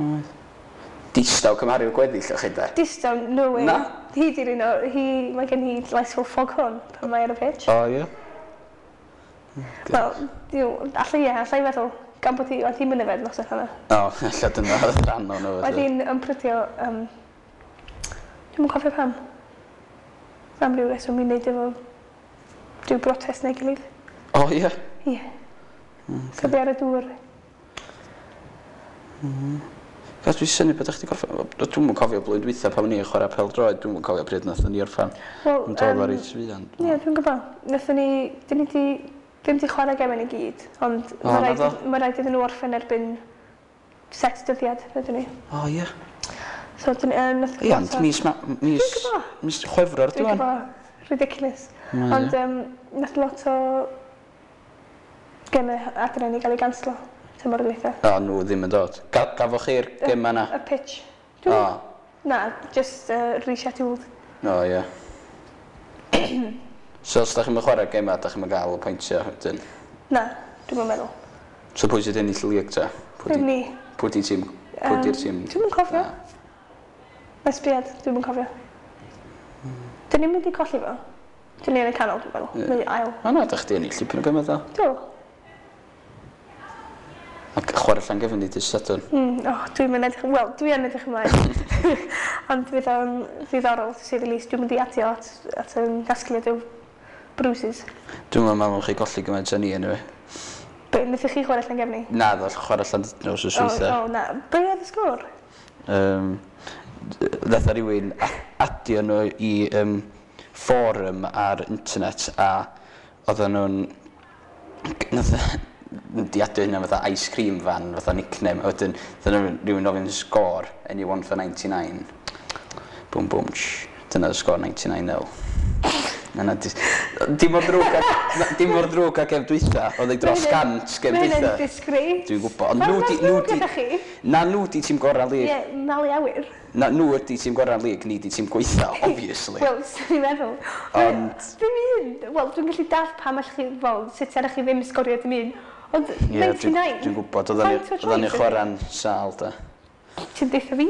Oedd. Distaw cymharu â'r gweddill o chi de? Distaw, no way. Na? Hi 'di'r un o, hi, mae gen hi lais fel foghorn pan mae ar y pitch. O ie? Wel, diw, allai ie, allai feddwl, gan bod hi, oedd hi'm yn yfed noson hwnna. O, ella dyna oedd rhan o'n Oedd hi'n ymprydio, dwi'm yn cofio pam. Am ryw reswm i wneud efo rhyw brotest neu gilydd. O ie? Ie. So ar y dŵr. Cos dwi'n synnu bod chdi gorffen. Dwi'm yn cofio blwyddyn dwytha pan o'n i'n chwarae pêl-droed, dwi'm yn cofio pryd nathon ni orffen. Wel, Ond oedd o reit fuan. Ie, dwi'n gwybod. Nathon ni, dyn ni di, ddim di chwarae gemau ni gyd, ond O, mae rhaid, naddo? ma rhaid iddyn nhw orffen erbyn set dyddiad, rydyn ni. O ie. So, dyn, nath Ie, ond mis, mis, Dwi'n gwbod. mis Chwefror Dwi'n dwi'n. gwybod. Ridiculous. Mae, Ond nath lot o gemau adre ni gael ei ganslo tymor dwytha. O, nhw ddim yn dod. Gafoch chi'r gema na? Y pitch. O, Na, just rescheduled. o ie. So os da chi'n chwarae gema, da chi'n gael y pwyntiau wedyn. Na, dwi'm yn meddwl. So pwy sydd ennill y lig ta? Pwy Ddim di, ni. pwy di tîm? Pwy di'r tîm? Dwi'm yn cofio. Na. Mae sbiad, dwi'm yn cofio. Dyn ni'n mynd i colli fo. Dyn ni yn y canol, dwi'n meddwl. Ie. Neu ail. O na, da chdi ennill dipyn o gema ddo. Do. Ac chwarae Llangefni dydd Sadwrn. Oh, dwi'n mynd edrych... Wel, dwi yn edrych ymlaen. Ond fydd o'n ddiddorol, to say the least. Dwi'n mynd i adio at yn gasgliad o bruises. Dwi'n meddwl chi golli gymaint â ni anyway. Be, wnaethoch chi chwarae Llangefni? Na, ddo, chwarae Llandudno wsos O, dwytha. o, na. Be oedd y sgôr? Nath rhywun adio nhw i fforum ar internet a oedden nhw'n... Nath di adio hynna fatha ice cream van, fatha nickname, a wedyn nath rhywun ofyn sgôr, anyone for 99. Boom, boom, tsh. Dyna y sgôr 99-0. Na, dim mor ddrwg dim mor ddrwg ag gem dwytha, oedd ei dros 100 gem Mae hynny'n dwytha. disgrace. Dwi'n gwybod, ond Faint nhw mor di... Nhw ddrwg di ydach chi? na nhw di tîm gorau'r lig. Ie, malu awyr. Na, nhw ydi tîm gorau'r lig, ni di tîm gweitha, obviously. Wel, swn i'n meddwl. Ond- Dim un. Wel, dwi'n gallu dallt pam allwch chi, fel, sut arach chi ddim sgorio dim un. Ond Ie, 99. dwi'n gwybod, oedden ni Faint o oedden ni tries chwarae'n sâl, da. Ti'n deutha fi?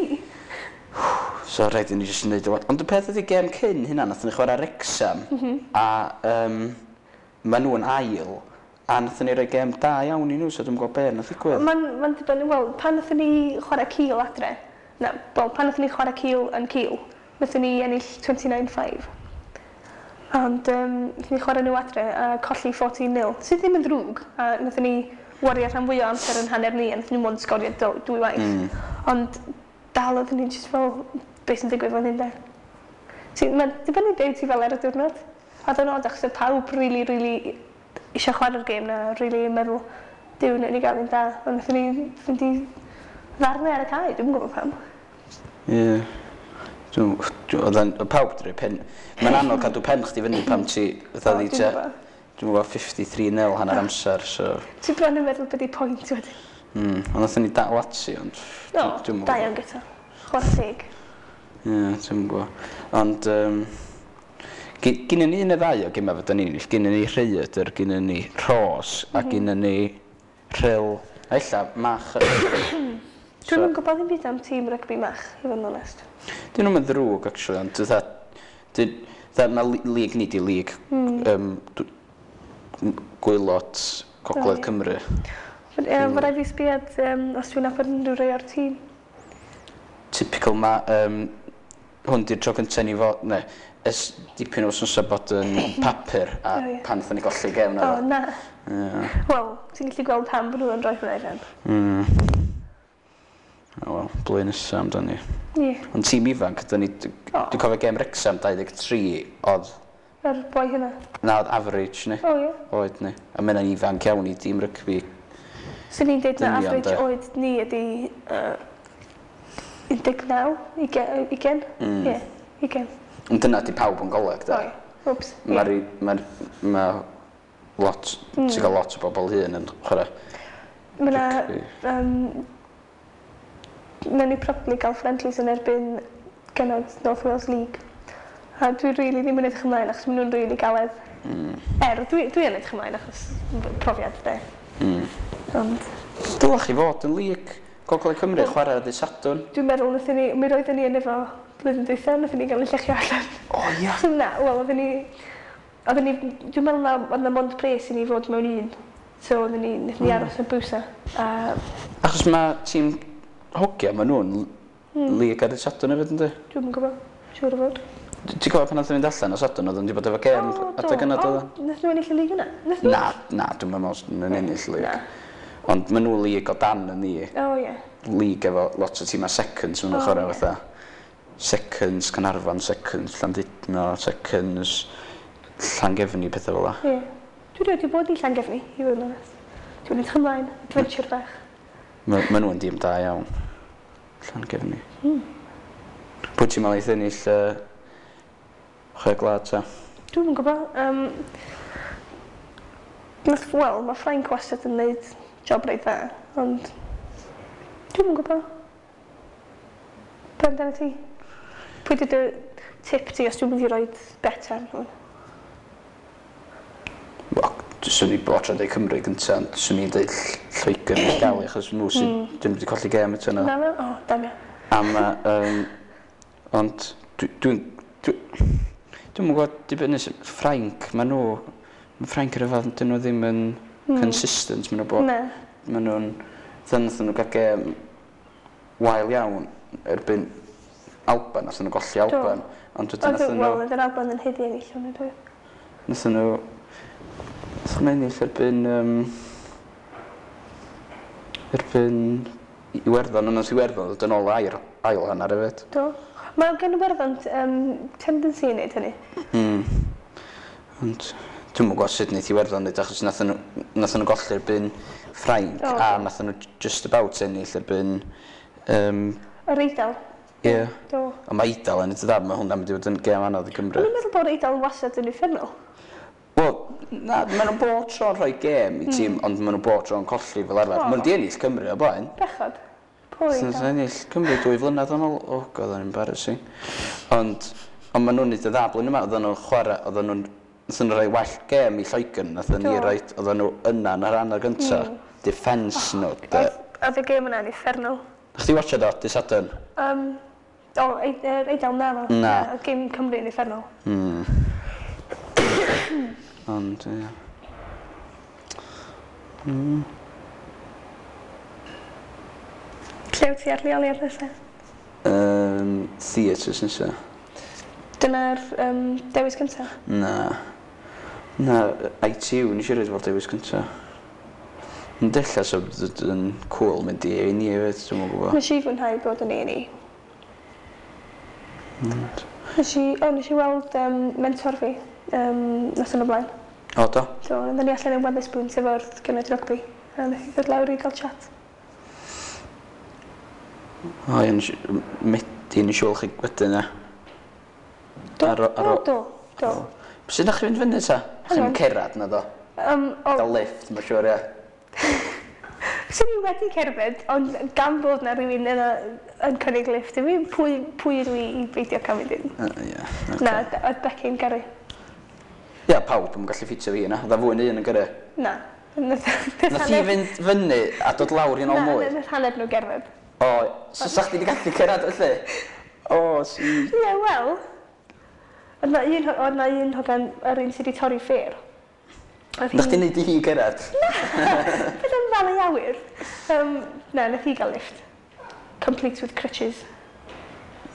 So rhaid i ni jyst wneud o. Ond y peth ydi gêm cyn hynna, nathon ni chwarae Wrexham, a ma nhw'n ail, a nathon ni roi gêm da iawn i nhw, so dwi'n gwybod be nath ddigwydd. Mae'n ma dibynnu, wel, pan nathon ni chwarae Cil adre, na, wel, pan nathon ni chwarae Cil yn Cil, nathon ni ennill 29-5. Ond nathon ni chwarae nhw adre a colli 14-0, sydd ddim yn ddrwg, a nathon ni wario rhan fwy o amser yn hanner ni, a nathon ni mond sgorio dwy waith. Ond dal oedden ni jyst fel, beth sy'n digwydd fan hyn de. Mae'n dibynnu be wyt ti fel ar y diwrnod. A oedd o'n od achos oedd pawb really, really eisiau chwarae'r gêm na, really yn meddwl, Duw, wnawn ni gael un da. Ond wnaethon ni fynd i ddarnau ar y cae, dwi'm yn gwybod pam. Ie. Oedd pawb 'di rhoi pen... Mae'n anodd cadw pen chdi fyny pam ti... Fatha O, ddi dwi'n tua... gwbod. Dwi'n gwybod 53-0 hanner amser, so... Ti bron yn meddwl beth di pwynt wedyn. Ond nathon ni dal ati, ond... No, dwi'm yn da gwbod. iawn gyda. Chwarae teg. Ie, dwi'm yn gwybod. Ond... Gynnon ni un neu ddau o gemau fydda ni'n ennill. Gynnon ni Rhaeadr, gynnon ni Rhos, a gynnon ni Rhyl. A ella Mach. Dwi'm yn gwybod ddim byd am tîm rygbi Mach, i fod yn onest. Dyn nhw'm yn ddrwg, actually, ond fatha... Fatha, mae lig ni di lig gwaelod Gogledd O, ie. Cymru. Mae rhaid fi sbiad os dwi'n nabod unrhyw rai o'r tîm. Typical ma... Hwn di'r tro cyntaf ni fod... Ne, ers dipyn o wythnosau bod yn papur a O, ie. pan wnaethon ni golli gêm O, na. na. Ie. Wel, ti'n gallu gweld pam bod nhw'n rhoi hwnna i fewn. O, wel, blwyddyn nesaf amdani. Ie. Ond tîm ifanc, ydyn ni... O. Dwi'n cofio gêm Wrexham 23 oedd... Yr boi hynna. Na, oedd average ni. O, ie. Oed ni. A mae hynna'n ifanc iawn i dîm rygbi. Swn i'n deud na Dynion, average de. oed ni ydi 19, 20. Ie, 20. Ond dyna di pawb yn goleg, da. O, ie. Wps. ie. Mae'r... Mae'r... Mae lot... Ti'n cael lot o bobl hŷn yn chwarae. Mae 'na... rygbi. Nawn ni probably gael friendlies yn erbyn genod North Wales League. A dwi really ddim yn edrych ymlaen achos maen nhw'n really galed. Er, dwi yn edrych ymlaen achos profiad de. Ond, Dylech chi fod yn lig. Gogledd Cymru, chwarae ar ddydd Sadwrn. Dwi'n meddwl wnaethon ni, mi roedden ni yn efo blwyddyn dwytha, wnaethon ni gael ein llechio allan. O ia! So na, wel, oedden ni, dwi'n meddwl na, oedd na mond pres i ni fod mewn un. So oedden ni, wnaethon ni aros yn Bwsa. A Achos mae tîm hogia, maen nhw'n lig ar dydd Sadwrn hefyd, yndi? Dwi'm yn gwybod, siŵr o fod. Ti'n cofio pan nath nhw fynd allan o Sadwrn, oedden nhw wedi bod efo gêm adeg yna, O, doedden? nath nhw ennill y lig yna? Nath nhw? Na, na, dwi'n meddwl nhw'n ennill y lig. Na. Ond maen nhw lig o dan yn ni. O, ie. Lig efo lot o tîmau seconds, maen nhw'n O, chwarae ie. fatha seconds Caernarfon, seconds Llandudno, seconds Llangefni, pethau fel la. Ie. Dwi rioed 'di bod i Llangefni, i fod yn onest. Dwi'n edrych ymlaen, adventure bach. Ma, ma nhw'n dîm da iawn. Llangefni. Pwy ti'n meddwl eith ennill Chwe Gwlad ta? Dwi'm yn gwybod. Nath, wel, mae Ffrainc wastad yn neud job reit dda, ond dwi'm yn gwybod. Be amdano ti? Pwy 'di dy tip ti os dwi'n mynd i roid bet ar nhw? Wel, swn i bod tro'n deud Cymru gynta, ond swn i'n deud Lloegr neu Gali, achos nhw sydd ddim wedi colli gêm eto na. Na fe? O, damio. A ma, ond dwi'n, dwi'n gwybod, dibynnu Ffrainc, ma nhw, ma Ffrainc yn rhyfedd, dyn nhw ddim yn consistent, ma nhw bod, Na. ma nhw'n, dyn nhw'n nhw gael gêm wael iawn erbyn Alban, nath nhw golli Alban, ond wedyn Oedd, nath nhw, wel, oedd yr Alban yn haeddu ennill hwnna, dwi. Nath nhw ennill erbyn Iwerddon, ond nath Iwerddon ddod yn ôl ail hanner hefyd. Do. Mae gen Iwerddon tendency i wneud hynny. Ond dwi'm yn gwybod sut wneith Iwerddon wneud, achos nath nhw golli erbyn Ffrainc Do. a nath nhw just about ennill erbyn Yr Eidal. Ie. Do. Ond mae Eidal yn eitha dda, mae hwnna'n mynd i fod yn gêm anodd i Gymru. O'n i'n meddwl bod Eidal wastad yn uffernol. Wel, na, maen nhw'n bob tro'n rhoi gêm i tîm, ond maen nhw'n bob tro'n colli fel arfer. O. Maen nhw 'di ennill Cymru o blaen. Bechod. Pwy Nath Eidal? nhw ennill Cymru 2 flynedd yn ôl. Oh God, o'n embarrassing. Ond maen nhw'n neud y dda blwyddyn yma. Oedden nhw'n chwarae, oedden nhw'n... Nathon nhw rhoi well gêm i Lloegr, nathon ni Do. roid, oedden nhw yna yn yr hanner gynta. Defence nhw, de. Oedd y gêm yna'n uffernol. Chdi watcha do, dy Sadwrn? O, yr Eidal na fo. Na. Oedd gêm Cymru yn uffernol. Ond, ie. Lle wyt ti ar leoliad nesaf? Theatres nesa. Dyna'r dewis cyntaf. Na. Na, ITU, nes i roed fel dewis cynta. Yn della so yn cool mynd i A&E hefyd, dwi'm yn gwybod. Nes i fwynhau bod yn A&E. Nes i weld mentor fi noson o blaen. O, do? So, oedden ni allan yn Wetherspoons efo'r genod rygbi. A nath i ddod lawr i gael chat. O, ie, Medi, nes i weld chi wedyn, e. Do, Ar o, do, do. Sut ydych chi'n fynd fyny ta? Hang Chi'n on. cerad na do? O, Gael lift, mae'n siŵr, ie. Swn i wedi cerdded, ond gan bod na rhywun yna yn cynnig lift i fi, pwy ydw i i beidio cael mynd in? Ie. Na, oedd Becky'n gyrru. Ie, pawb yn gallu ffitio fi yna. Oedd fwy na un yn gyrru. Na. Nath Nath hi fynd fyny a dod lawr i nôl Na, mwy? nath hanner nhw gerdded. O, so sa chdi wedi gallu cyrraedd felly? O, si. Ie, wel. Oedd na un hogan, yr un sydd wedi torri ffêr. Oedd Nath chdi neud i hi gyrraedd? Beth am ddal ei awyr? Na, nath hi gael lift. Complete with crutches.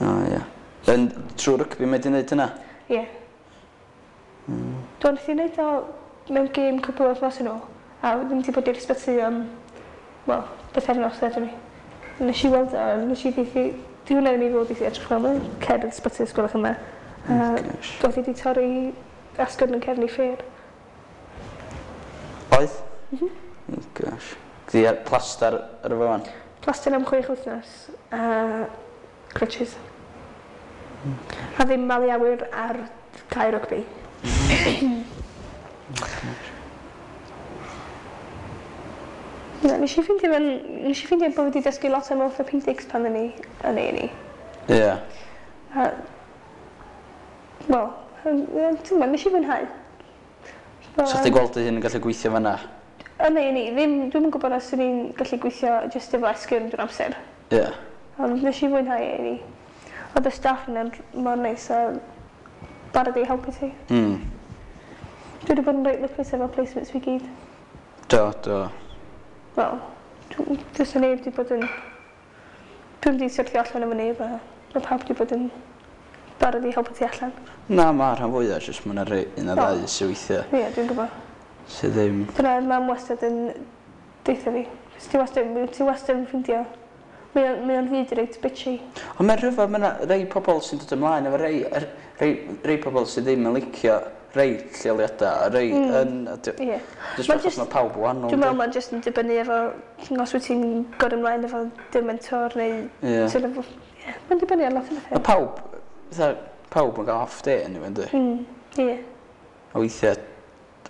O, ie. Yn trwy rygbi mae di wneud hynna? Ie. Yeah. Do, nath hi wneud o mewn gêm cwpl o wythnos yn ôl. A ddim wedi bod i'r ysbyty am, wel, bythefnos ddedwn ni. Nes i weld o, nes i ddeithi, di hwnna ddim i fod i edrych fel yma, cer i'r ysbyty os gwelwch yn dda. A gosh. doedd hi wedi torri asgwrn yn cefn ei ffêr. Oedd? Oh, gosh. Gdi ar plastar ar y fan? Plaster am 6 wythnos a crutches. A ddim malu awyr ar cae rygbi. Na, nes i ffeindio bod fi wedi dysgu lot am orthopedics pan o'n i yn A&E. Ie. A, wel, ti'n gwybod, nes i fwynhau. Sa chdi gweld dy hun yn gallu gweithio fanna? Yn A&E, ddim, dwi'm yn gwybod os swn i'n gallu gweithio jyst efo esgyrn drwy'r amser. Ie. Yeah. Ond nes i fwynhau A&E. Oedd y staff yna'n mor neis a barod i helpu ti. Dwi wedi bod yn reit lwcus efo placements fi gyd. Do, do. Wel, does 'na neb wedi bod yn... Dwi'm wedi syrthio allan efo neb a mae pawb wedi bod yn barod i helpu ti allan. Na, mae rhan fwyaf, jyst mae yna rhai un a Do. ddau sydd weithiau Ie, dwi'n gwybod. sydd ddim. Dyna oedd mam wastad yn deutha fi. 'Cos ti wastad yn ffeindio. Mae o'n fyd reit bitchy. Ond mae'n rhyfedd, mae yna rei pobl sy'n dod ymlaen efo rei, rei, rei pobl sydd ddim yn licio rei lleoliadau, a rei yn... Jyst Ma'n achos mae pawb wahanol. Dwi'n meddwl mae'n jyst yn dibynnu efo os wyt ti'n gorau ymlaen efo dy mentor neu sort of, ie, mae'n dibynnu ar lot o Mae bethau. pawb, fatha, pawb yn cael off day anyway, yndi? Ie. A weithiau,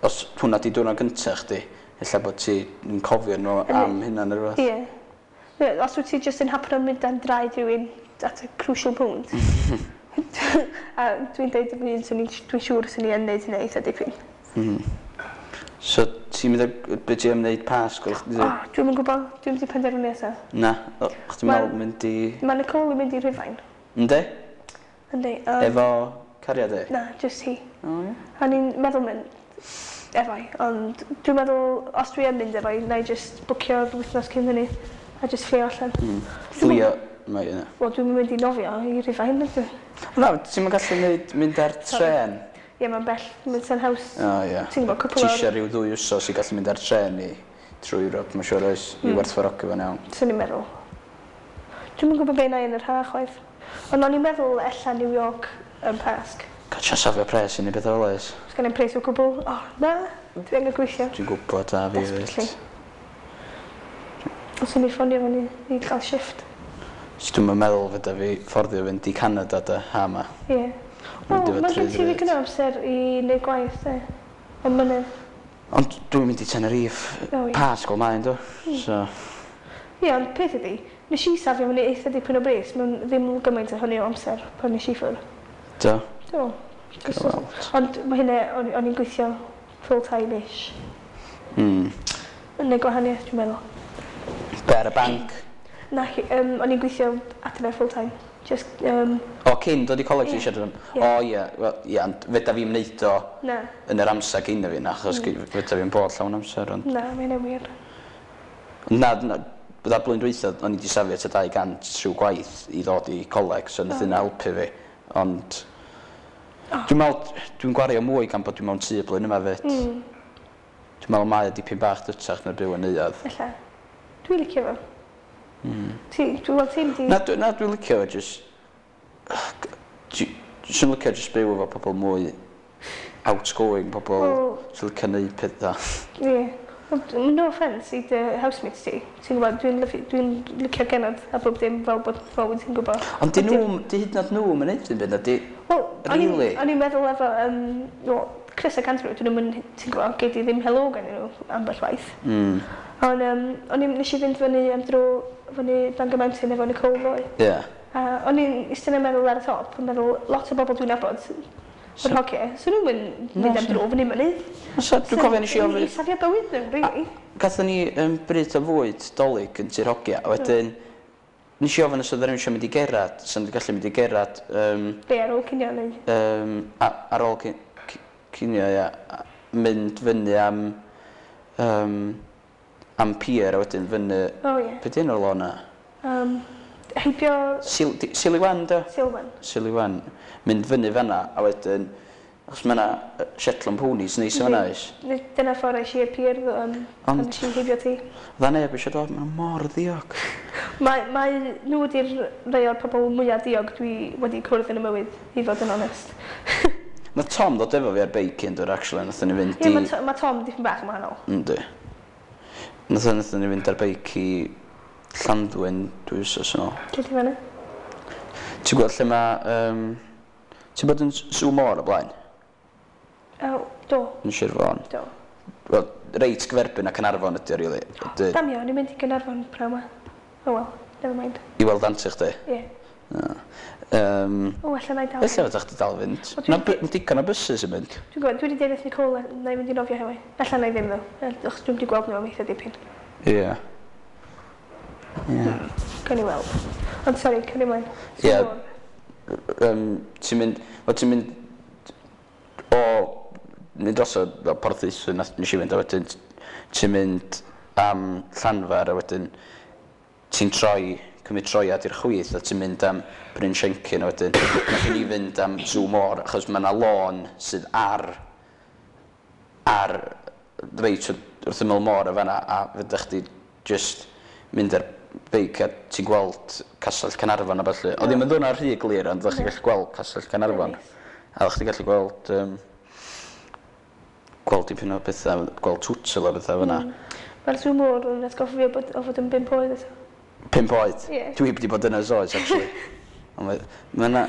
os hwnna di diwrnod gyntaf chdi, ella bod ti'n cofio nhw am hynna neu rhywbeth. Ie. Ie, os wyt ti jyst yn hapno mynd dan draed rhywun at a crucial point. A dwi'n deud efo un, dwi'n siŵr swn i yn neud hynna eitha dipyn. So, ti'n mynd be ti am wneud Pasg? O, dwi'm yn gwybod, dwi'm wedi penderfynu eto. Na, o, chdi'n meddwl mynd i? Mae Nicole yn mynd i Rhufain. Yndi? Yndi. Efo cariad e? Na, just hi. O, ie. A ni'n meddwl mynd efo'i, ond dwi'n meddwl os dwi yn mynd efo'i, na i just bwcio'r wythnos cyn hynny a just fflio allan. Fflio, mae yna. Wel, dwi'n mynd i nofio i Rhufain, ydw. Na, ti'n mynd gallu neud, mynd ar tren? Ie, mae'n bell, mae'n sen haws. O, ie. Ti'n gwybod, cwpl Ti o'r eisiau rhyw 2 wsos i gallu mynd ar tren i trwy Ewrop, mae'n siŵr oes, i werthfawrogi fo'n iawn. Swn i'n meddwl. Dwi'm yn gwybod be na i yn yr ha chwaith. Ond o'n i'n meddwl ella New York yn Pasg. Gael trio safio pres i ni beth fel oes. Os gen i'n pres o gwbl. O, na, dwi angen gweithio. Dwi'n gwybod a fi hefyd. Desperately. Os o'n i ffonio fyny i gael shift. So dwi'n meddwl fydda fi fforddio fynd i Canada da ha ma. Ie. Mynd Wel, efo mae gen ti trwy ddigon o amser i wneud gwaith, de. Ond mynydd. Ond dwi'n mynd i Tenerife O, ie. Pasg o maen, do. So, Ie, ond peth ydi, nes i safio fyny eitha dipyn o bres mewn ddim gymaint o hynny o amser pan nes i ffwrdd. Do. Do. Gael weld. Ond mae hynna, o'n i'n gweithio full time-ish. Yn neud gwahaniaeth, dwi'n meddwl. Be ar y banc? Na, o'n i'n gweithio adre full time. Just, O, cyn dod i coleg ti Ie. eisiau dod? Ie. O, ie. Wel, ie, ond fedra fi'm neud o Na, yn yr amser cyn fi, na, achos fedra fi'n bod llawn amser, ond na, mae hynny'n wir. Na, na, bydda blwyddyn dwytha, o'n i wedi safio tua 200 trwy gwaith i ddod i coleg, so nath hynna helpu fi. Ond dwi'n meddwl, dwi'n gwario mwy gan bod dwi'n mewn tŷ blwyddyn yma fyd. Dwi'n meddwl mae o dipyn bach dytach na byw yn neuadd. Ella. Dwi'n licio fo. Ti, dwi'n weld ti'n di Na, na, dwi'n licio fo, just Dwi'n licio just byw efo pobl mwy outgoing, pobl Wel sy'n licio neud pethau. Ie. Wel, no offence i dy housemates ti. Ti'n gwybod, dwi'n licio genod a bob dim fel bod fel wyt ti'n gwybod. Ond di nhw, di hyd yn oed nhw yn neud dim byd, na di Wel, Really? o'n i'n meddwl efo, well, Chris ac Andrew, dyn nhw'n, ti'n gwybod, gei di ddim hello gan nhw ambell waith. Ond o'n i'n, nes i fynd fyny am dro fyny Bangor Mountain efo Nicole ddoe. Ie. A o'n i'n eistedd yn meddwl ar y top, yn meddwl lot o bobl dwi'n nabod yn hogia, so nhw'n mynd am dro fyny mynydd. So, dwi'n cofio nes i ofyn I safio bywyd nhw, really. Gathon ni bryd o fwyd Dolig yn Tŷ'r Hogia, a wedyn nes i ofyn os oedd rhywun eisiau mynd i gerad, sy'n gallu mynd i gerad Be ar ôl cinio neu ar ôl cinio, ia, a mynd fyny am pier a wedyn fyny O ie. Be di enw'r lôn na? Heibio Siliwan, do? Silwan. Siliwan. Mynd fyny fanna, a wedyn, achos mae yna Shetland Ponies neis o fanna, oes? Dyna ffordd eis i i'r pier, pan nes i heibio ti. Dda neb eisiau dod, mae'n mor ddiog. Mae nhw ydi'r rhai o'r pobl mwyaf diog dwi wedi cwrdd yn y mywyd, i fod yn onest. Nath Tom ddod efo fi ar beic un dwr, actually, nathon ni fynd Ie, i mae Tom dipyn bach yn wahanol. Yndi. Nathon ni fynd ar beic i Llanddwyn 2 wythnos yn ôl. Lle ti fyny? Ti'n gweld lle mae ti'n bod yn Sŵ Môr o blaen? O, do, Yn Sir Fôn? Do. Wel, reit gyferbyn a Caernarfon ydi o, really. Ydy, Damio, o'n i'n mynd i Gaernarfon pnawn 'ma. Oh well, never mind. I weld anti chdi. Ie. O, ella na i dal. Ella fydda chdi dal fynd. O, Na, digon o buses yn mynd. Dwi'n gwybod, dwi wedi deud wrth Nicole na i fynd i nofio heddiw. Ella na i ddim ddo. Achos dwi'n wedi gweld nhw am eitha dipyn. Ie. Ie. Gawn ni weld. Ond sori, cario ymlaen. Ie. Ti'n mynd... Wel, ti'n mynd o... Mynd drosodd fel Porthaethwy nath nes i fynd a wedyn ti'n mynd am Llanfair a wedyn ti'n troi, cymryd troiad i'r chwith a ti'n mynd am Bryn Siencyn a wedyn nath ni fynd am Sw Môr achos mae yna lôn sydd ar reit wrth ymyl môr y fanna a fydda chdi just mynd ar beic a ti'n gweld Castell Caernarfon a ballu. Oedd ddim yn ddwrnod rhy glir ond oeddech chi'n gallu gweld Castell Caernarfon. Nice. A oeddech chi'n gallu gweld dipyn o bethau, gweld twtl a bethau fyna. Mae'r Sw Môr yn atgoffa fi o fod yn 5 oed eto. 5 oed? Ie. Dwi wedi bod yna oes, actually. Ond mae yna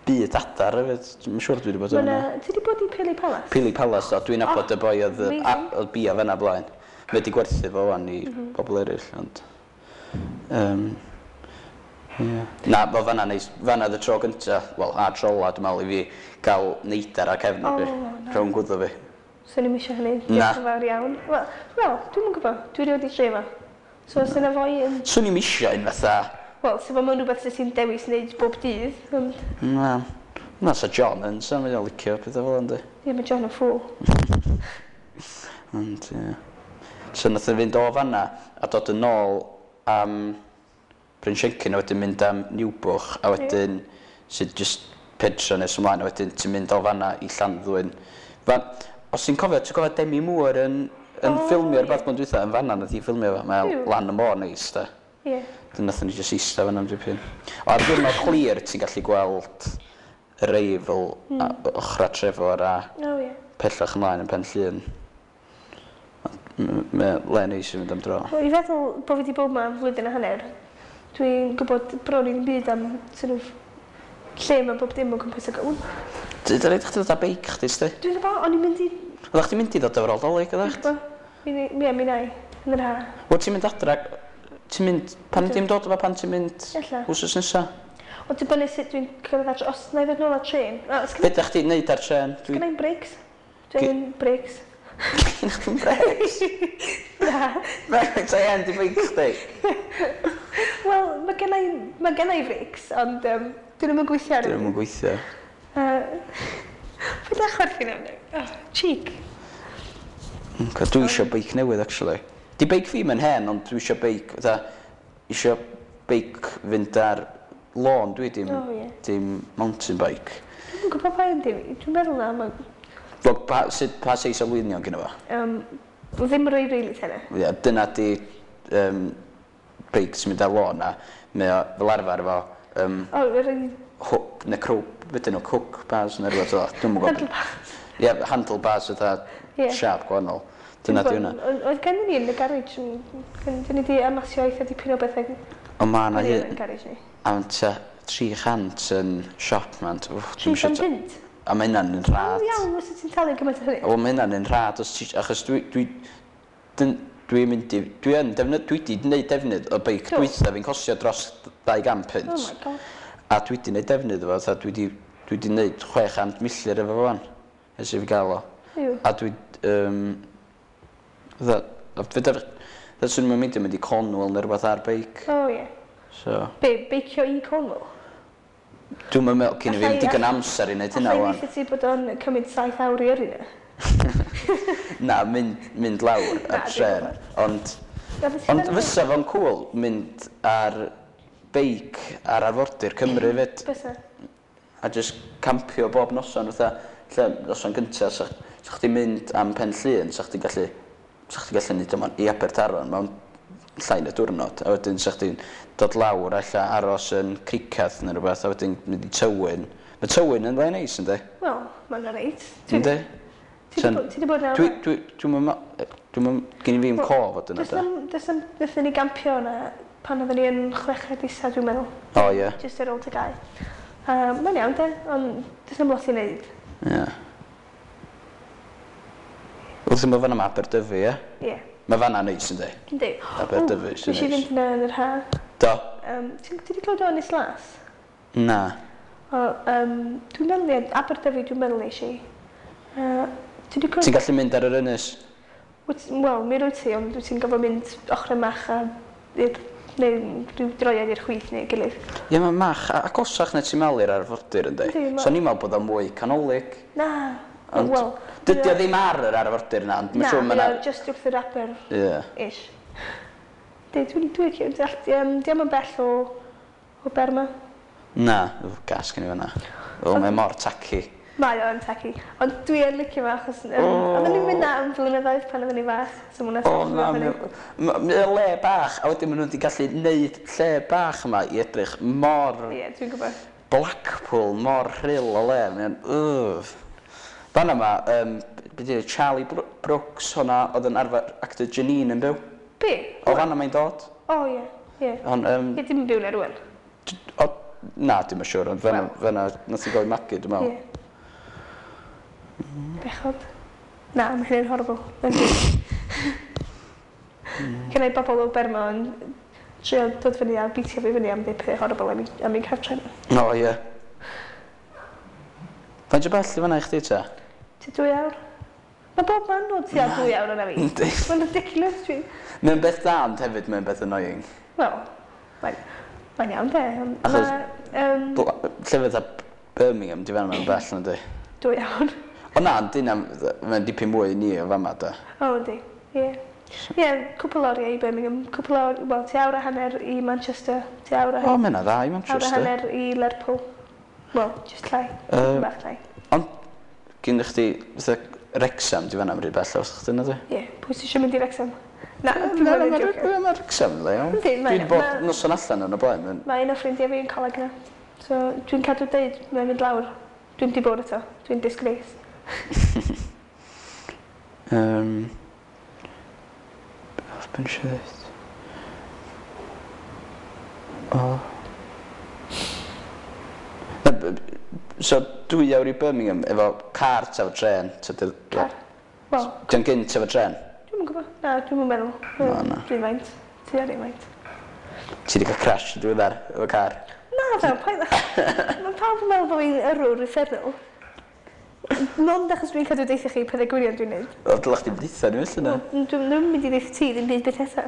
byd adar hefyd. Dwi'n siŵr dwi wedi bod Mae yna. 'na... Ti wedi bod i Pili Palace? Pili Palace, do. Dwi'n nabod y boi oedd amazing. oedd bia fanna blaen. Mae wedi gwerthu fo wan i bobl eraill, ond... Ie. Na, fel fanna neis, fanna oedd y tro gynta, wel, a tro ola, dwi'n meddwl, i fi gael neidar ar cefn fi. O, nice. Rhwng gwddw fi. So ni'n eisiau hynny. Na. Diolch yn fawr iawn. Wel, dwi'm yn gwybod. Dwi rioed 'di trio fo. So os yna foi yn... Swn i'm isio un fatha... Wel, so fo mewn rhywbeth sydd ti'n dewis wneud bob dydd, ond... Na. Na, sa John yn, sa mae'n licio pethau fel ynddi. Ie, mae John yn ffŵl. Ond, ie. So nath o fynd o fanna a dod yn ôl am Bryn Siencyn a wedyn mynd am Niwbwch a wedyn sydd just pentra nes ymlaen a wedyn ti'n mynd o fanna i Llanddwyn. Fan, os ti'n cofio, ti'n cofio Demi Moore yn ffilmio rhywbeth blwyddyn dwytha yn fanna nath hi ffilmio fo. Mae Yw. lan y môr neis da. Ie. Dyn nathon ni jyst eista fanna am dipyn. O, ar diwrnod clir ti'n gallu gweld yr Eifl a ochra Trefor a O, ie. pellach ymlaen yn Pen Llŷn. Mae le neis i fynd am dro. Wel, i feddwl bod fi wedi bod yma am flwyddyn a hanner, dwi'n gwybod bron i ddim byd am sort of, lle mae bob dim o gwmpas y gawn. Dwi'n rhaid chdi ddod â beic chdi, sti? Dwi'n gwybod, o'n i'n mynd i... Oeddech chdi'n mynd i ddod efo'r ôl Dolig, Dwi'n oeddech? gwybod. Mi, mi na i, yn yr ha. Wel, ti'n mynd adra... Ti'n mynd... Pan dim dod efo pan ti'n mynd Ella. wsos nesa? Ond dibynnu sut dwi'n cyrraedd adre, os na i ddod nôl ar trên. O, Be sgynna ydych chdi'n neud ar trên? Dwi... i'm brakes. Dwi'n brakes. Gynna chdi'm brakes? Na. Brakes I am, di beic chdi. Wel, mae genna i brakes, ond dyn nhw'm yn gweithio ar Dyn nhw'm yn gweithio. Paid â chwerthin am Oh, cheek. Okay, dwi eisiau beic newydd, actually. Di beic fi mae'n hen, ond dwi eisiau beic, fatha, eisiau beic fynd ar lôn, dwi dim, O, ie. dim mountain bike. Dwi'n gwybod pa un dim. Dwi'n meddwl na, mae... Wel, pa, sut, pa seis o lwynion gyda fo? Ddim roi rili tena. Ie, dyna di beic sy'n mynd ar lôn a mae o fel arfer efo O, yr un hook, neu crow, beth nhw, hook bars neu rhywbeth fel. Dwi'm yn gwybod. handlebars. Ie, handlebars fatha Ie. siâp gwahanol. Dyna di hwnna. Oedd gennym ni yn y garage, dyn ni wedi amasio eitha dipyn o bethau Ond ma' 'na yn hyn, y garage ni. am tua 300 yn siop man. Wff, dwi'm isio 300 punt? A mae hynna'n yn O rhad. iawn, os ti'n talu gymaint o hynny. Wel, mae hynna'n yn rhad, os ti, achos dwi, dwi, dyn, dwi'n mynd i, dwi yn defnydd, dwi wedi gwneud defnydd o beic Do. dwytha fi'n costio dros 200 punt. Oh my god. A dwi wedi gwneud defnydd o fo, fatha dwi wedi gwneud 600 milltir efo fo wan, ers i fi gael o. Yw. A dwi, fatha, fedar, fatha swn i'n mynd i mynd i Cornwall neu rhywbeth ar beic. O ie. So, Be, beicio i Cornwall? dwi'n meddwl cyn i fi Alla i- digon amser i wneud hynna Alla i wan. weithio ti bod o'n cymryd 7 awr i yrru na? Na, mynd lawr Na, ar dwi'n tren. gwbod. Ond, Na, beth ti'n ond meddwl? fysa fo'n cool mynd ar beic ar arfordir Cymru fyd. Bysa. A just campio bob noson fatha, lle noson gynta, sa, sa chdi'n mynd am Pen Llŷn, sa chdi'n gallu neud o i Abertaron mewn llai na diwrnod, a wedyn sa chdi'n dod lawr ella aros yn Criccath neu rhywbeth, a wedyn mynd i Tywyn. Mae Tywyn yn le neis, yndi? Wel, mae'n reit. Yndi? Ti 'di bod na? Dwi, dwi, dwi'n mynd, dwi'n mynd, gen i fi'm cof o dyna Does da. na'm, nethon ni gampio yna pan oedden ni yn chweched isa, dwi'n meddwl. O, ie. Just ar ôl TGAU. Mae'n iawn, de, ond does na'm lot i wneud. Ie. Wrth ymwneud fan'na mae Aberdyfi, ie? Ie. Mae fan'na neis, yndi? Yndi. Aberdyfi sy'n Nes i neis. fynd yna yn yr ha. Do. Ti'n ti 'di clywed o Ynys Las? Na. O, dwi'n meddwl, ie, Aberdyfi, dwi'n meddwl nes i. Ti 'di clywed? Ti'n gallu mynd ar yr ynys? Wel, mi rwyt ti, ond wyt ti'n gorfod mynd ochr Mach a i'r, neu rhyw droiad i'r chwith neu gilydd. Ie, mae Mach agosach na ti'n meddwl i'r arfordir, yndi? Yndi, So ni'n meddwl bod o'n mwy canolig. Na. Ond Wel, dydy o ddim ar yr arfordir na, ond mae'n Na, siŵr mae mae o just wrth yr aber Ie. ish. Di, dwi'n dwi, di yn bell o Bermo. Na, gas gen i fan'na. O, mae mor tacky. Mae o'n tacky. Ond dwi yn licio fo achos oedden ni'n mynd na am flynyddoedd pan oedden ni fach. So ma' O, hwnna'n na, funny. mae o le bach, a wedyn maen nhw wedi gallu neud lle bach yma i edrych mor Ie, dwi'n gwybod. Blackpool, mor rhyl o le. Mae'n, ugh. Fan yma, be di Charlie Brooks hwnna oedd yn arfer actor Janine yn byw. Be? O fanna mae'n dod. O, ie, ie. Ond, Ie, dim yn byw na rwan. O, na, dim yn siŵr, ond fanna, Wel. fanna nath i gael ei magu, dwi'n meddwl. Ie. Bechod. Na, mae hynny'n horrible. Gen i bobl o Bermo yn trio dod fyny a beatio fi fyny am ddeud pethau horrible am ei cartre nhw. O, ie. Faint o bell i fanna i chdi ta? Tua 2 awr. Mae bob man o tua 2 awr yna fi. Yndi. Mae'n ridiculous, dwi. Mae'n beth da, ond hefyd mae'n beth annoying. Wel, mae'n iawn de. Ond Achos- Ma, Lle fatha Birmingham, di fanna mae'n bell na di. 2 awr. O na, ond dyna, mae'n dipyn mwy i ni o fama da. O, yndi. Ie. Ie, cwpl oriau i Birmingham, cwpl o, wel, tua awr a hanner i Manchester, tua awr a, O, mae'n dda i awr a Manchester. hanner i Lerpwl. Wel, just llai, bach llai. Ond, gyn chdi, fatha Wrexham, di fanna rhy bell os chdi na di? Ie, pwy sy'n eisiau mynd i Wrexham? Na, dwi'n Na, mynd na, i jocio. Mae Wrexham, le, iawn. Yndi, Dwi wedi bod noson allan yn y blaen. Mae un o ffrindiau fi yn coleg na. So, dwi'n cadw deud, mae'n mynd lawr. Dwi'n di bod eto. Dwi'n disgrace. Beth eisiau dweud? O. Na, so, 2 awr i Birmingham efo car ta efo tren? Car. Wel, Di'n gynt efo tren? dwi'm yn gwybod. Na, dwi'm yn meddwl. Na, na. Dwi'n faint. Ti ar un faint. Ti wedi cael crash yn diweddar efo car? Na, fel, paid. Mae pawb yn meddwl bod fi'n yrrwr uffernol. Mond achos dwi'n cadw deithio chi pethau gwirion dwi'n neud. O, dylech chdi deutha ni felly na? Wel, dwi'n ddim yn mynd i ddeithio ti ddim byd byth eto.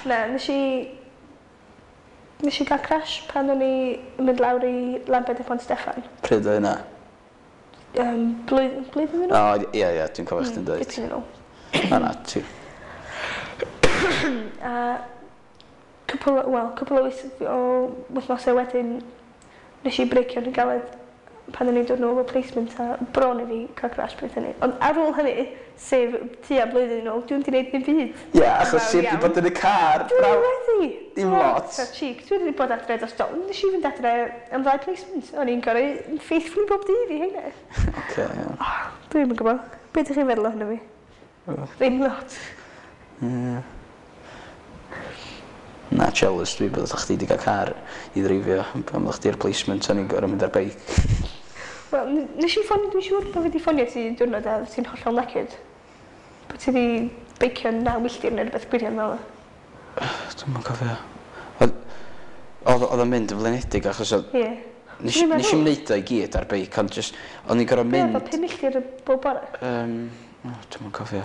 Na, nes i gael crash pan o'n i yn mynd lawr i Lambed y Pont Steffan. Pryd o hynna? Blwyddyn yn ôl? O, ie, ie, dwi'n cofio chdi'n dweud. Dipyn yn ôl. Na, na, ti. A cwpl, wel, cwpl o wythnosau wedyn, nes i breicio'n rhy galed pan o'n i'n dod nôl o placement a bron i fi cael crash bryd hynny. Ond ar ôl hynny, sef tua blwyddyn yn ôl, dwi'n di wneud ddim byd. Ie, achos Wel, ti wedi iawn. bod yn y car. Dwi Braw. wedi! Dim lot. So cheek. Dwi wedi bod adre dros do. Nes i fynd adre am ddau placement. O'n i'n gorau faithfully bob dydd i heina. Oce, iawn. Oh, dwi'n yn gwybod. Be ydych chi'n feddwl ohono fi? Ddim lot. Ie. Na, jealous dwi bod chdi wedi cael car i ddreifio pan oeddach chdi ar placement o'n i'n gorfod mynd ar beic. Wel, nes i ffonio, dwi'n siŵr bod fi wedi ffonio ti diwrnod a ti'n hollol knackered. Bod ti wedi beicio 9 milltir neu rhywbeth gwirion fel yna. Dwi'm yn cofio. Oedd o'n mynd yn flinedig achos oedd... Ie. Nes Dwi'n nes i'm meddwl- neud o i gyd ar beic, ond just, o'n i'n gorfod Be oedd o, mynd... 5 milltir bob bore? O, dwi'm yn cofio.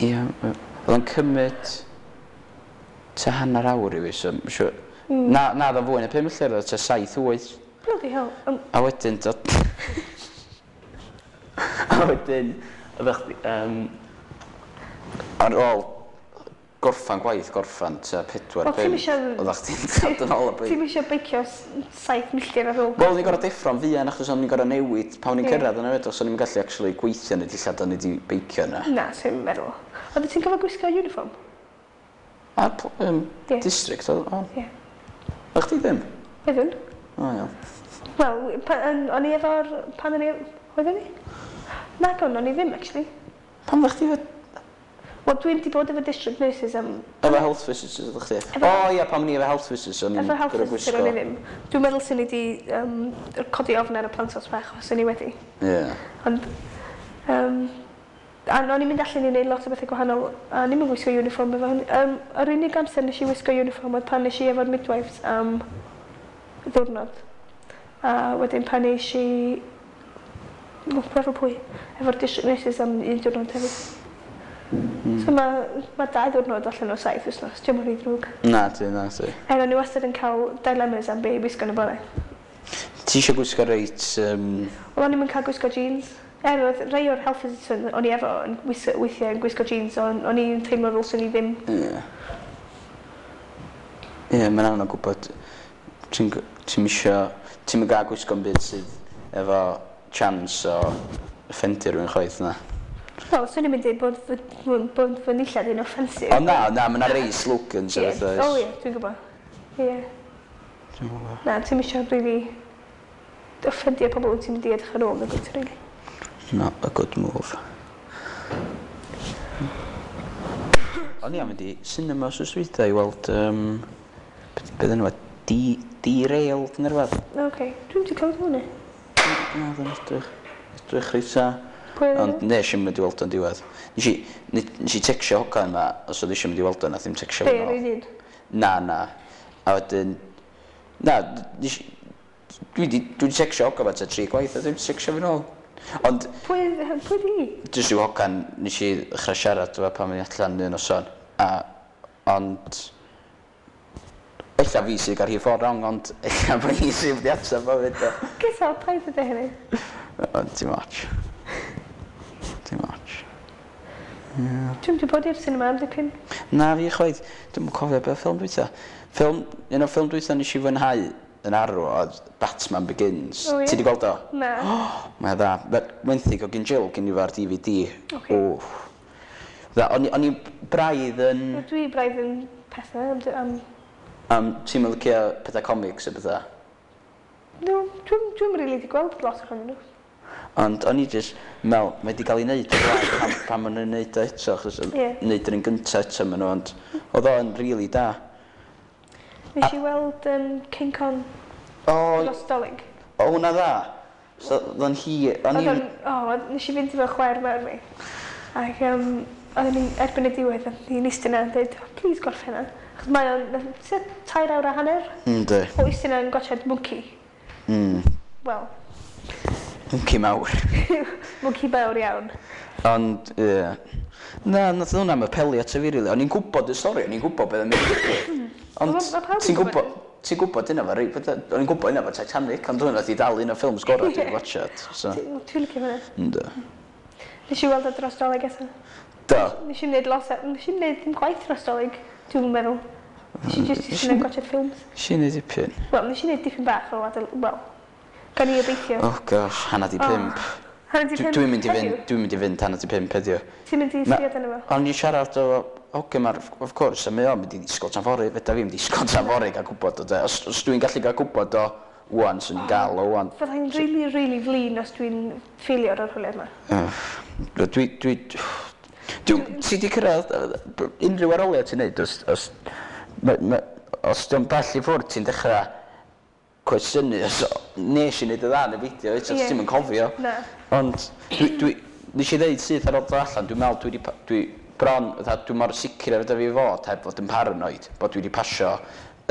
Ie, oedd o'n cymryd tua hanner awr i fi, so ma' siŵr... Na, na, oedd o'n fwy na 5 milltir, oedd o tua 7, 8. Bloody hell. A wedyn, dod... A wedyn, oeddech chdi... Ar ôl gorffan gwaith, gorffan tua 4, Wel, ti'm 5, isio- oeddech chdi'n dod yn ôl y beic. Ti'm eisiau beicio 7 milltir ar ôl? Wel, o'n i'n gorfod deffro'n fuan achos o'n i'n gorfod newid pan o'n i'n Ie. cyrraedd yna hefyd, os o'n i'n gallu actually gweithio yn y dillad o'n i wedi beicio yna. Na, sy'n meddwl. Oedd ti'n cofio gwisgo uniform? A Ie. district, oedd o? Ie. O'ch chdi ddim? Oeddwn. O, iawn. Wel, o'n i efo'r... Pan o'n i... Oeddwn i? Nag o'n, o'n i ddim, actually. Pan fydda chdi Wel, dwi'n di bod efo district nurses am... efo health visitors ydych chdi? O ia, pan o'n i efo health visitors, o'n i'n Efo health gorfod visitor gwisgo. o'n i ddim. Dwi'n meddwl sy'n ni di codi ofn ar y plantos bach os o'n i wedi. Ie. Ond, A o'n i'n mynd allan i wneud lot o bethau gwahanol, a o'n i'm yn gwisgo uniform efo hynny. Yr unig amser nes i wisgo uniform oedd pan nes i efo'r midwives am ddiwrnod. A wedyn pan nes i... O, efo pwy? Efo'r district nurses am un diwrnod hefyd. So mae 2 diwrnod allan o 7 wythnos, diolch yn rhy ddrwg. Na ti, na ti. Er o'n i wastad yn cael dilemmas am be i wisgo yn y bore. Ti eisiau gwisgo reit... Wel, o'n i'm yn cael gwisgo jeans. Er oedd rhai o'r health visitors o'n i efo yn weithiau yn gwisgo jeans, ond o'n i'n teimlo fel swn i ddim. Ie, mae'n anodd gwybod. Ti'n isio... Ti'n mynd gael gwisgo'n byd sydd efo chance o offendio rhywun chwaith na. Wel, swn i'n mynd i bod bod fy nillad yn offensive. O na, na, mae yna rei slogans o fatha. O ie, dwi'n gwybod. Ie. Dwi'n gwybod. Na, ti'n isio really offendio pobl wyt ti'n mynd i edrych ar ôl, nag wyt, really. Not a good move. O'n i am mynd i cinema wsos dwytha i weld, beth enw e? Derailed neu rhywbeth. Oce, okay. Dwi'n wedi clywed hwnna. Na, oedd o'n edrych reit dda. Pwy oedd Ond nes i'm mynd i weld o'n diwedd. Nes i tecsio hogan yma, os oedd eisiau mynd i weld o, nath i'm tecsio Be, fi nôl. yr un? Na, na. A wedyn... Na, nes i... Dwi di tecsio hogan yma tua tri gwaith, a ddim tecsio fi nôl. Ond Pwy di? Jyst rhyw hogan nes i ddechrau siarad efo pan mynd allan un noson. A, ond... Ella fi sydd gael rhif ffordd wrong, ond ella bod hi sydd wedi ateb o fyd. Gyda, paid ydy hynny. Ond dim ots. Dim ots. Dwi'n wedi bod i'r cinema am dipyn. Na fi chwaith, dwi'n cofio beth ffilm dwytha. Ffilm, un o'r ffilm dwytha nes i fwynhau yn arw oedd Batman Begins. O, ie? Ti di gweld o? Na. Mae o dda. Wenthyg o gyn Jill gyn i fo ar DVD. Ocê. Wff. Dda, o'n i braidd yn... Dwi braidd yn pethau am. Ti'n mynd licio pethau comics a pethau? No, dwi'n dwi really di gweld lot ohonyn nhw. Ond o'n i jyst, meddwl, mae wedi cael ei wneud o'r blaen pan maen nhw'n wneud o eto, achos Ie. wneud yr un gyntaf eto maen nhw, ond oedd o'n really da. Nes i weld King Kong O, dros Dolig. o hwnna dda. So, oedd o'n hir, o'n Oedd i'n... o'n, o, nes i fynd efo chwaer mawr fi. Ac oedden ni'n erbyn y diwedd, oedd ni'n eistedd yna yn dweud, "Oh, please gorffen hynna." Achos mae o'n tua 3 awr a hanner Yndi. o eistedd yna yn gwatsiad monkey. Wel, Monkey mawr. Monkey mawr iawn. Ond, ie. Na, nath hwnna am apelio ato fi, really. O'n i'n gwybod y stori, o'n i'n gwybod beth yn mynd i ddigwydd. Ond Ma' pawb yn ti'n gwbod gwybod, ti'n gwybod hynna fo, reit, o'n i'n gwybod hynna fo Titanic, ond hwnna di dal un o ffilms gorau dwi'n watchad. So, Dwi'n licio hwnna. ynddo. Nes i weld o dros Dolig eto. Do. Nes i wneud lot, nes i wneud ddim gwaith dros Dolig, dwi'n meddwl. Nes i just eistedd yna'n gwatsiad ffilms. Nes i wneud dipyn. Wel, nes i wneud dipyn bach o adel, wel, gan i obeithio. Oh gosh, 4:30. 4:30 Dwi'n mynd i fynd, heddiw? dwi'n mynd i fynd 4:30 heddiw. Ti'n mynd i sgriad yna fo? O'n i siarad o hogyn ma'r, of course, a mae o'n mynd i ddisgwyl tan fory, fedra fi'm disgwyl tan fory gael gwybod o de. Os dwi'n gallu gael gwybod o wan, swn i'n gael o wan. Fydda i'n really, really flin os dwi'n ffeilio'r arholiad yma. Dwi, ti di cyrraedd unrhyw arholiad ti'n neud, os di'n bell i ffwrdd, ti'n dechrau cwestiynu, os nes i neud y dda neu beidio, eto Ie. ti'n yn cofio. Na. Ond dwi, nes i ddeud syth ar ôl dod allan, dwi'n meddwl dwi, di, dwi bron, fatha, dwi mor sicr efo fi fod heb fod yn paranoid, bod dwi wedi pasio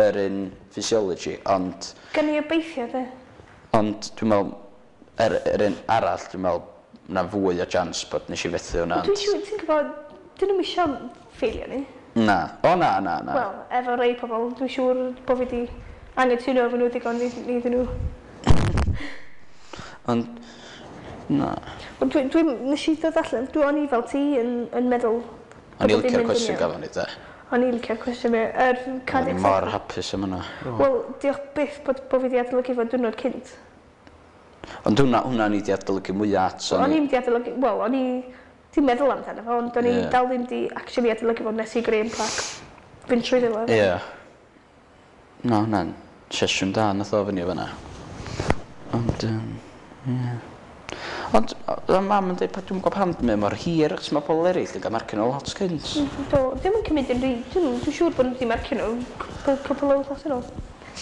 yr un physiology, ond, Gan i obeithio, de. ond dwi'n meddwl, yr un arall, dwi'n meddwl, na fwy o chance bod nes i fethu hwnna. Dwi'n siŵr, ti'n gwybod, dyn nhw'm isio ffeilio ni. Na, o na, na, na. Wel, efo rei pobl, dwi'n siŵr bod fi di anghytuno efo nhw digon i iddyn nhw. Ond, na. Ond dwi, nes i ddod allan, o'n i fel ti yn meddwl O'n i bod dim licio'r mynd yn cwestiwn iawn. gafon ni, de. O'n i licio'r cwestiwn mi. Yr O'n i cardiac mor hapus am hwnna. Wel, diolch byth bod fi di adolygu fo diwrnod cynt. Ond hwnna ni di adolygu mwyaf at. O'n i'n di adolygu, wel, o'n i di meddwl amdano fo, ond o'n i dal ddim di actually adolygu fo nes i Graham Clark fynd trwy fo. Ie. Na, hwnna'n sesiwn da nath o fyny o fyna. Ond, ie. Ond, oedd mam yn dweud, dwi'n gwybod pam mae'n mor hir, achos mae pobl eraill yn cael marcio nhw lot cynt. Do, ddim yn cymryd yn rhy, dwi'n siŵr bod nhw wedi marcio nhw cwpl o wythnos yn ôl.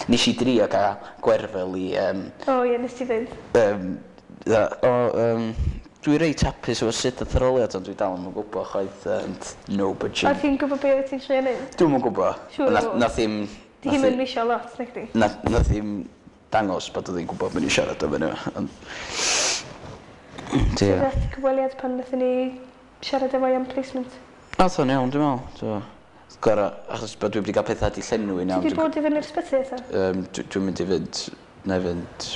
Nes i drio gael Gwerfyl i, O ie, nes ti ddweud. o, Dwi reit hapus efo sut ath yr arholiad, ond dwi dal ddim yn gwybod chwaith, and no budging. A ti'n gwybod be wyt ti'n trio neud? Dwi'm yn gwybod. Siŵr o fod. Nath hi'm... Di hi'm yn misio lot, nacdi? Nath hi'm dangos bod oedd hi'n gwybod be o'n i'n siarad am eniwe, ond... Sut ath cyfweliad pan nathon ni siarad efo hi am placement? Ath o'n iawn, dwi'n meddwl. So, gorau, achos bod dwi wedi cael pethau di llenwi nawr. Ti wedi bod i fyny'r ysbyty eto? Dwi'n mynd i fynd, na i fynd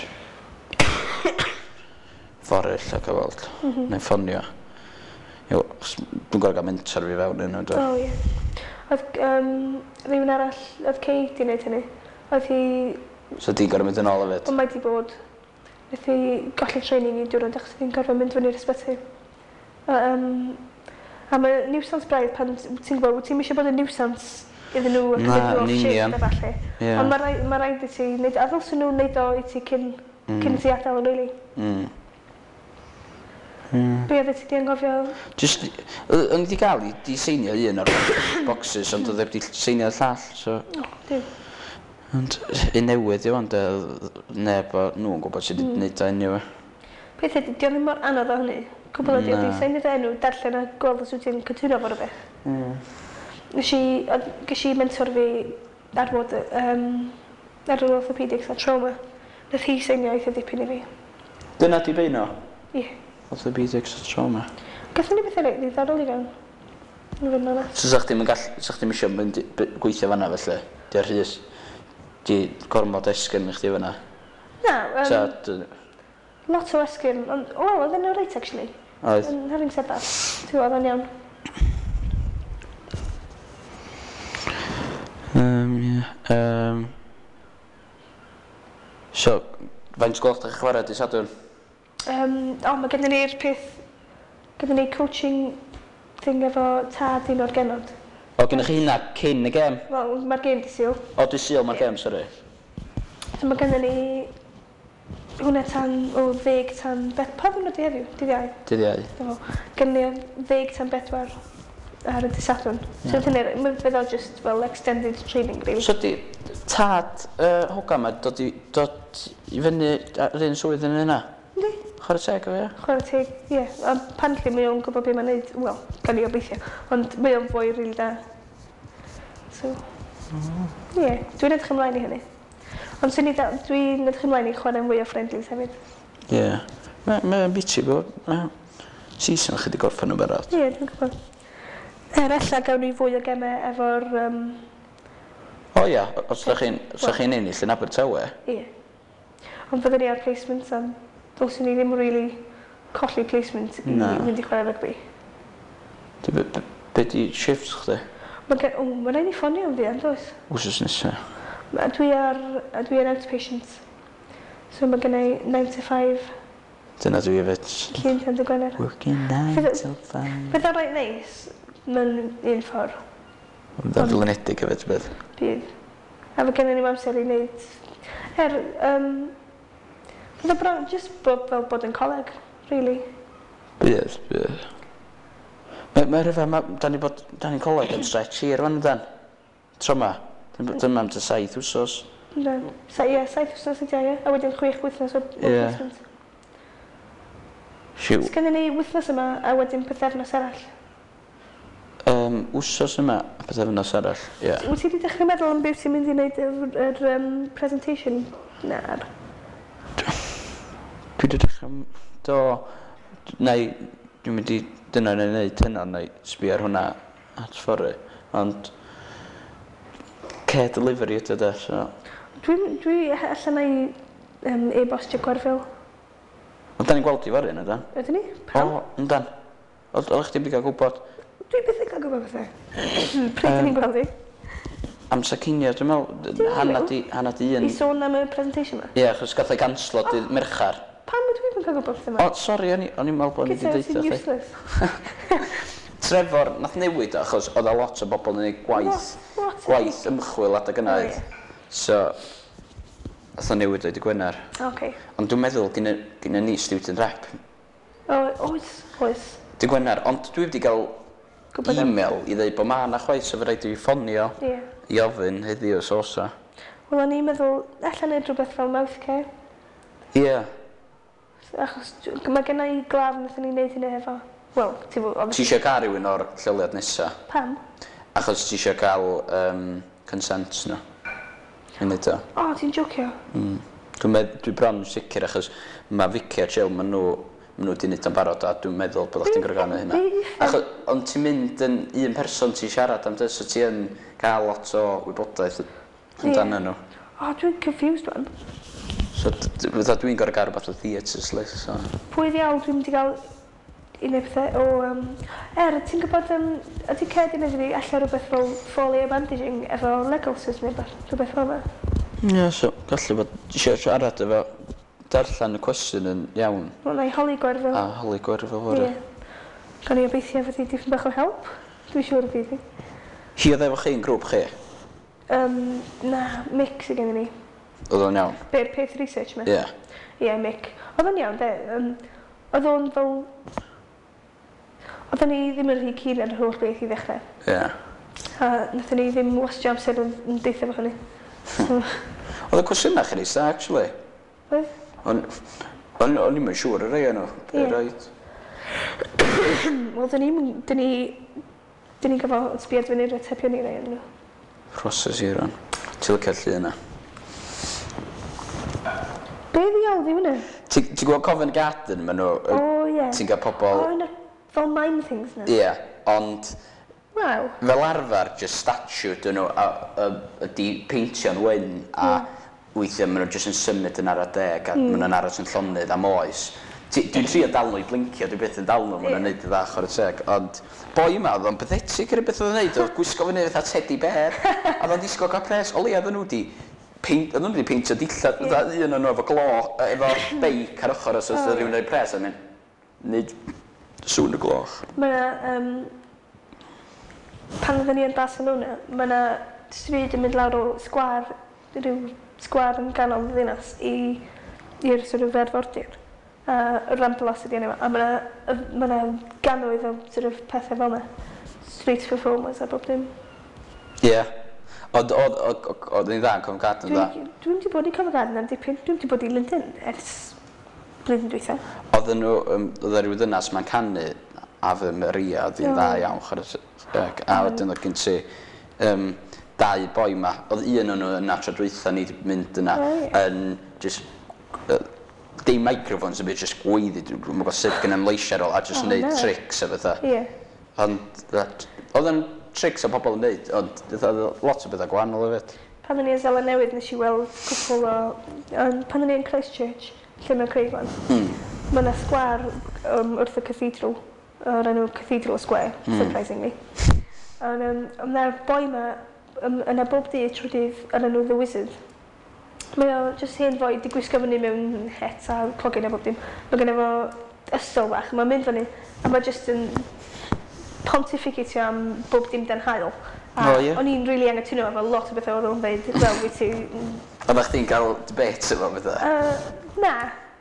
fory ella cael weld. Na i ffonio. Iawn, achos dwi'n gorau gael mentor fi fewn yno, do. O, ie. Oedd rhywun arall, oedd Kate di wneud hynny. Oedd hi... So ti'n gorau mynd yn ôl hefyd? Ond mae di bod. Wnaeth hi golli training i diwrnod achos oedd hi'n gorfod mynd fyny'r ysbyty. A mae nuisance braidd pan ti'n gwybod, wyt ti'n eisiau bod yn nuisance iddyn nhw a Na, cymryd nhw yn off shift union. a falle. Ond mae rhaid i ti wneud, a ddylsyn nhw wneud o i ti cyn i ti adael, really. Be oedd ti di anghofio? Just, o'n i wedi cael i di seinio un o'r boxes, ond oedd wedi seinio'r llall, so... O, dim. Ond un newydd yw ond neb o nhw'n gwybod sut i wneud o anyway. Peth ydy, di o ddim mor anodd o hynny. Cwbl ydi, ydi seinio dy enw, darllen a gweld os wyt ti'n cytuno fo rhywbeth. Nes i, ges i mentor fi ar fod, ar yr orthopedics a trauma. Nath hi seinio eitha dipyn i fi. Dyna di beino? Ie. Orthopedics a trauma. Gathon ni bethau reit ddiddorol i fewn. I fod yn onest. So sa chdi'm yn gall, sa chdi'm isio mynd gweithio fanna felly? Di ar rhys? Di gormod esgyrn i chdi fanna? Na, So, lot o esgyrn, ond, wel, oedd yn reit, actually. Oedd. And having said that, ti'n gwybod, oedd o'n iawn. Ie. So, faint gloch da chi chwarae di Sadwrn? O, mae gennym ni'r peth, gennym ni coaching thing efo tad un o'r genod. O, gennych chi hynna cyn y gêm? Wel, mae'r gêm di Sul. O, di Sul mae'r gêm, sori. So mae gennym ni hwnna tan, o, 10 tan, beth, pa ddwrnod di heddiw? Dydd Iau? Dydd Iau. Do. Gennym ni o 10 tan 4 ar y dydd Sadwrn. So hynny, mae fydd o just fel extended training, really. So di tad hogan ma dod i fyny ar un swydd yn yna? Yndi. Chwarae teg o fi, ie? Chwarae teg, ie. Apparently mae o'n gwybod beth mae'n neud. Wel, gan i obeithio. Ond mae o'n fwy rili da. So, ie. Yeah, dwi'n edrych ymlaen i hynny. Ond swn i da, dwi'n edrych ymlaen i chwarae'n fwy o friendlies hefyd. Ie. Yeah. Mae'n biti bod... Season chi wedi gorffen yn barod. Ie, yeah, dwi'n gwybod. Er ella gawn ni fwy o gemau efo'r... O ia, os ydych chi'n os ydych chi'n ennill yn Abertawe. Ie. Ond fyddwn ni ar placement, am ddylswn ni ddim really colli placement i Na. mynd i chwarae rygbi. Be di shifts chdi? Mae gen... O, mae rhaid ni ffonio am fuan, does? Wsos nesa. Dwi ar outpatient. So mae gen i 9 to 5 Dyna dwi hefyd. Llun tan dy Gwener. Working 9 till 5. Bydd o'n reit neis mewn un ffordd. Ond o'n flinedig hefyd, bydd. Bydd. A fe gennym ni amser i wneud... Er, bydd o bron, just bod fel bod yn coleg, really. Bydd, bydd. Mae rhyfedd, da ni bod, da ni'n coleg yn stretch hir wan, dan. Tro ma. Dyma am tua 7 wsos. Yndan. Ie, 7 wythnos ydi o, ie. A wedyn 6 wythnos o placement. Siw. Sgynnon ni wythnos yma a wedyn pythefnos arall. Wsos yma a pythefnos arall, ie. Yeah. Wyt ti wedi dechrau meddwl am beth ti'n mynd i wneud yr presentation? Na. Dwi wedi dechrau... Do... Neu, dwi'n mynd i... Dyna wna i wneud hynna, neu sbio ar hwnna at fory. Ond... Care delivery ydy o de, so... Dwi allan na i e-bostio Gwerfyl. Ond da ni'n gweld i fory, yna, dan? Ydyn ni? Pam? O, yndan. Oeddech chdi wedi cael gwybod? Dwi byth yn cael gwybod pethau. Pryd dyn ni'n gweld i? Amser cinio, dwi'n meddwl, hanna di un. I sôn am y presentation yma? Ie, achos gath ei ganslo dydd Mercher. Pam ydw i'n cael gwybod pethau yma? O, sori, o'n i'n meddwl bod o'n i wedi Gyda, deud ti'n chdi. useless. Trevor, nath newid o, achos oedd a lot o bobl yn gwneud gwaith, What? gwaith ymchwil adeg yna. O, oedd. ie. So, nath o newid o i dy Gwener. Oce. Ond dwi'n meddwl gynna ni student rep. O, oes, oes. Dy Gwener, ond dwi wedi cael Gwybod am- e-mail i ddeud bod ma' na chwaith, so fe rhaid i fi ffonio Ie. i ofyn heddiw os oes o. Wel, o'n i'n meddwl, allan neud rhywbeth fel mouth care. Ie. Achos mae gen i glaf wnaethon ni wneud hynny hefo. Wel, ti fo... Ti eisiau cael rhywun o'r lleoliad nesa? Pam? Achos ti eisiau cael consent nhw. I wneud o. O, ti'n jocio? Dwi bron yn sicr achos mae Vicky a Jill, maen nhw wedi wneud o'n barod a dwi'n meddwl bod chdi'n gorfod gael hynna. Achos, ond ti'n mynd yn un person ti'n siarad am dy, so ti yn cael lot o wybodaeth amdano nhw. O, dwi'n confused wan. So, fatha dwi'n gorfod gael rhywbeth o theatre sli, so. Pwy ddiawl dwi'n mynd i gael i wneud pethau o... Ti'n gwybod, ydy Ced i wneud i fi allan rhywbeth fel four-layer bandaging efo leg ulcers neu rhywbeth fel yna? Ie, so, gallu bod eisiau siarad efo darllen y cwestiwn yn iawn. Wel, na i holi Gwerfyl. A holi Gwerfyl fory. Ie. Gawn ni obeithio fydd hi dipyn bach o help. Dwi'n siŵr y bydd hi. Hi oedd efo chi yn grŵp chi? Na, Mick sydd gennym ni. Oedd o'n iawn? Be'r peth research ma? Ie. Ie, Mick. Oedd o'n iawn, de. Oedd o'n fel... Oedden ni ddim yn rhy keen ar yr holl beth i ddechrau. Ie. A wnaethon ni ddim wastio amser yn deithio efo hynny. So, Oedd y cwestiynau chi'n neis da, actually. Oedd? O'n i'm yn siŵr y rhai o'n nhw. Ie. Right. Wel, dyn ni'n gofio sbiad fyny'r atebion i rai o'n nhw. Proses i rhan. Ti'n licio'r llun yna? Be ddiawl di hwnna? Ti'n gwybod Covent Garden, maen nhw... O, ie. Ti'n cael pobl... O, yna fel mime things na. Ie, ond Waw. fel arfer, just statue dyn nhw, ydi peintio'n wyn, a weithiau maen nhw just yn symud yn ara deg, a maen nhw'n aros yn llonydd am oes. Dwi'n trio dal nhw i blincio, dwi byth yn dal nhw, maen nhw'n neud y ddach o'r teg, ond boi yma, oedd o'n pathetic yr beth oedd o'n neud, oedd gwisgo fyny fatha teddy bear, a oedd o'n disgwyl cael pres, o leia oedden nhw wedi oedd nhw wedi peintio dillad, fatha un o'n nhw efo glo, efo beic ar ochr, os oedd rhywun rhoi pres, a mynd, neud sŵn y gloch. Mae yna, pan oedden ni yn Barcelona, mae yna stryd yn mynd lawr o sgwâr, rhyw sgwâr yn ganol y ddinas i'r sort of arfordir. A y Ramblas ydi enw fo. A mae yna gannoedd o sort of pethau fel yna. Street performers a bob dim. Ie. Ond oedd ni'n dda yn Covent Garden, dda. Dwi'n wedi bod i Covent Garden am dipyn. Dwi'n wedi bod i Lundain ers blwyddyn dwytha. Oedden nhw, oedd e ryw ddynas ma'n canu Ave Maria, oedd hi'n dda iawn, chwarae teg. A wedyn oedd gen ti dau boi ma. Oedd un o'n nhw yna tro dwytha ni 'di mynd yna yn just dim microphones yn byd, just gweiddi, dwi'n gwybod sut gen i'm leisiau ar ôl, a just O, neud na. tricks a bethau. Ie. Ond, oedd yn tricks o pobl yn neud, ond oedd lot o bethau gwahanol hefyd. Pan o'n i yn Seland Newydd, nes i weld cwpl o... Pan o'n i yn Christchurch, lle mae Craig wan, mae yna sgwâr wrth y cathedral, o'r enw Cathedral Square, surprisingly. Ond mae'r boi ma, yna bob dydd trwy dydd o'r enw The Wizard. Mae o jyst hen foi di gwisgo fyny mewn het a clogyn a bob dim. Mae genno fo ystol bach, mae'n mynd fyny, a mae jyst yn pontificatio am bob dim dan haul. A O, ie. o'n i'n rili anghytuno efo lot o bethau oedd o'n dweud, fel wyt ti... Oeddech chdi'n cael debate efo bethau? Na,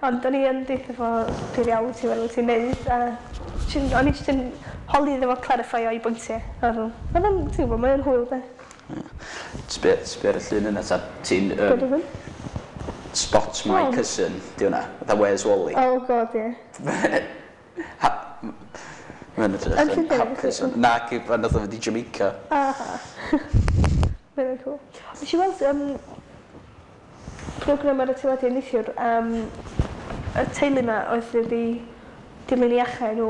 ond o'n i yn deutha fo pwy iawn ti'n meddwl ti'n neud, a o'n i jyst yn holi iddo fo clarify o'i bwyntiau. A Oedd o'n, ti'n gwybod, mae'n hwyl de. Sbio ar y llun yna, ta ti'n Be oedd hwn? Spot My Oh. Cousin, di hwnna, fatha Where's Wally? Oh god, ie. Mae'n edrych Yn yn Llundain, hapus. felly? Na, pan nath o fynd i Jamaica. Aha. Mae'n cool. Nes i weld program ar y teledu neithiwr am y teulu yma oedd wedi dilyn i achau nhw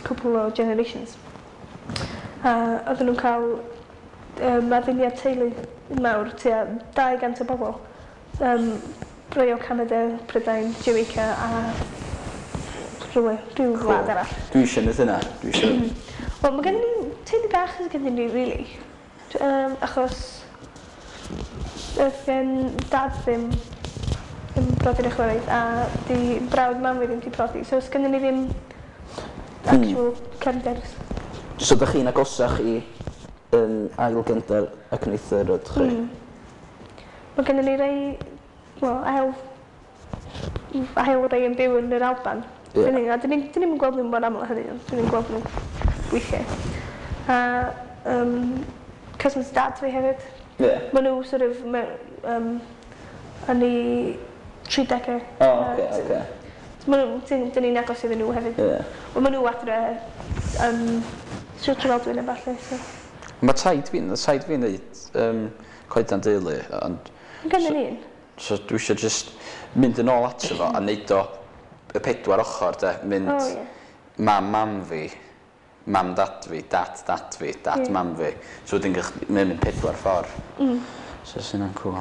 cwpl o generations. A oedden nhw'n cael adduniad teulu mawr, tua 200 o bobl. Rhai o Canada, Prydain, Jamaica a rhywle, rhyw wlad arall. Dwi eisiau neud hynna. Dwi eisiau... Wel, mae gennym ni teulu bach sydd gennym ni, really. Achos oedd gen dad ddim yn brodyr ei chwarae a di brawd mam fi ddim di prodi. So, sgynnon ni ddim actual cefnders. So, dych chi'n agosach i ail gyndar ac neithr ydych chi? Mae gennym ni rei, wel, ail rei yn byw yn yr Alban. Ie. Dyn ni, a dyn ni'n gweld nhw mor aml â hynny, ond dyn ni'n gweld nhw weithiau. A cousins dad fi hefyd. Ie. Maen nhw sort of yn eu 30au. O, oce, oce. Ma' nhw, dyn ni'n agos iddyn nhw hefyd. Ie. Wel, ma' nhw adre Sir Drefaldwyn a ballu, so. Mae taid fi'n neud coedan deulu, ond Yn gynnu ni un. So dwi eisiau just mynd yn ôl ato fo a neud o y pedwar ochr, de. Mynd O, ie. Mam mam fi, mam dad fi, dad dad fi, dad mam fi. So wedyn mae'n mynd pedwar ffordd. So sy'n cool.